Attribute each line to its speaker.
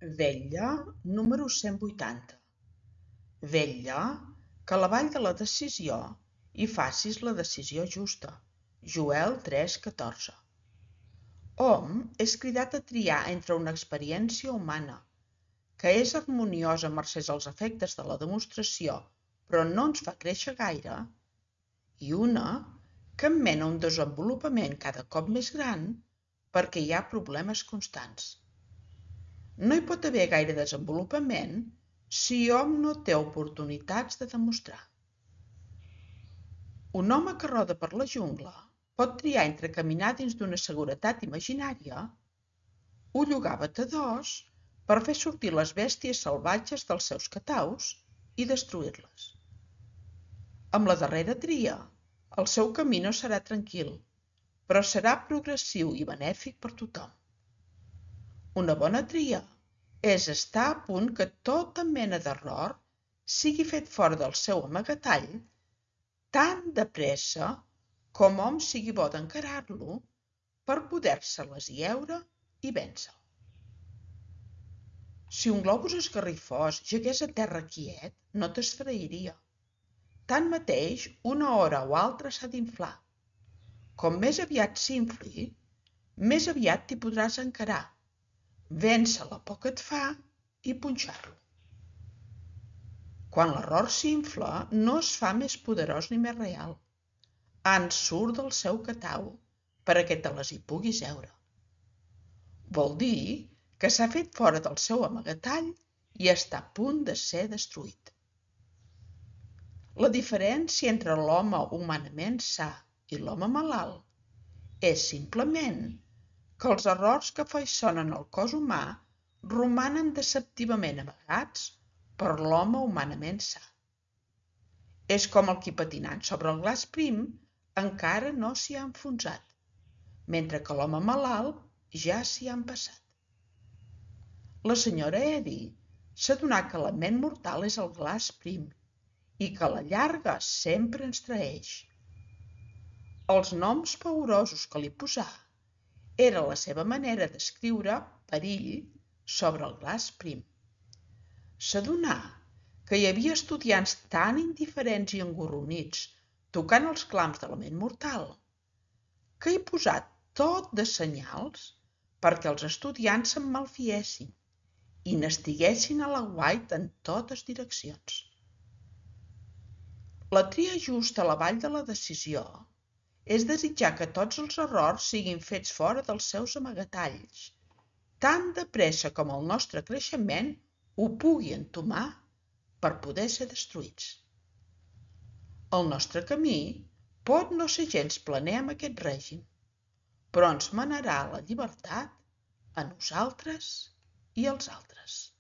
Speaker 1: Vetlla número 180. Vetlla que a la vall de la decisió hi facis la decisió justa. Joel 3,14. Hom és cridat a triar entre una experiència humana, que és harmoniosa mercès als efectes de la demostració, però no ens fa créixer gaire, i una que em mena un desenvolupament cada cop més gran perquè hi ha problemes constants. No hi pot haver gaire desenvolupament si hom no té oportunitats de demostrar. Un home que roda per la jungla pot triar entre caminar dins d'una seguretat imaginària o llogar batedors per fer sortir les bèsties salvatges dels seus cataus i destruir-les. Amb la darrera tria, el seu camí no serà tranquil, però serà progressiu i benèfic per tothom. Una bona tria és estar a punt que tota mena d'error sigui fet fora del seu amagatall tan de pressa com hom sigui bo d'encarar-lo per poder-se-les lleure i vèncer. Si un globus esgarrifós gegués a terra quiet, no t'esfereiria. Tanmateix, una hora o altra s'ha d'inflar. Com més aviat s'infli, més aviat t'hi podràs encarar, vèncer la por que et fa i punxar-lo. Quan l'error s'infla, no es fa més poderós ni més real. En surt del seu catau perquè te les hi puguis heure. Vol dir que s'ha fet fora del seu amagatall i està a punt de ser destruït. La diferència entre l'home humanament sa i l'home malalt és simplement que els errors que afaiçonen el cos humà romanen deceptivament amagats per l'home humanament sa. És com el qui patinant sobre el glaç prim encara no s'hi ha enfonsat, mentre que l'home malalt ja s'hi ha empassat. La senyora Eddy s'adonà que la ment mortal és el glaç prim i que a la llarga sempre ens traeix. Els noms paurosos que li posà era la seva manera d'escriure perill sobre el glaç prim. S'adonà que hi havia estudiants tan indiferents i engorronits tocant els clams de la ment mortal que hi posà tot de senyals perquè els estudiants se'n malfiessin i n'estiguessin a l'aguait en totes direccions. La tria justa a la vall de la decisió és desitjar que tots els errors siguin fets fora dels seus amagatalls, tan de pressa com el nostre creixement ho pugui entomar per poder ser destruïts. El nostre camí pot no ser gens planer amb aquest règim, però ens manarà a la llibertat a nosaltres i als altres.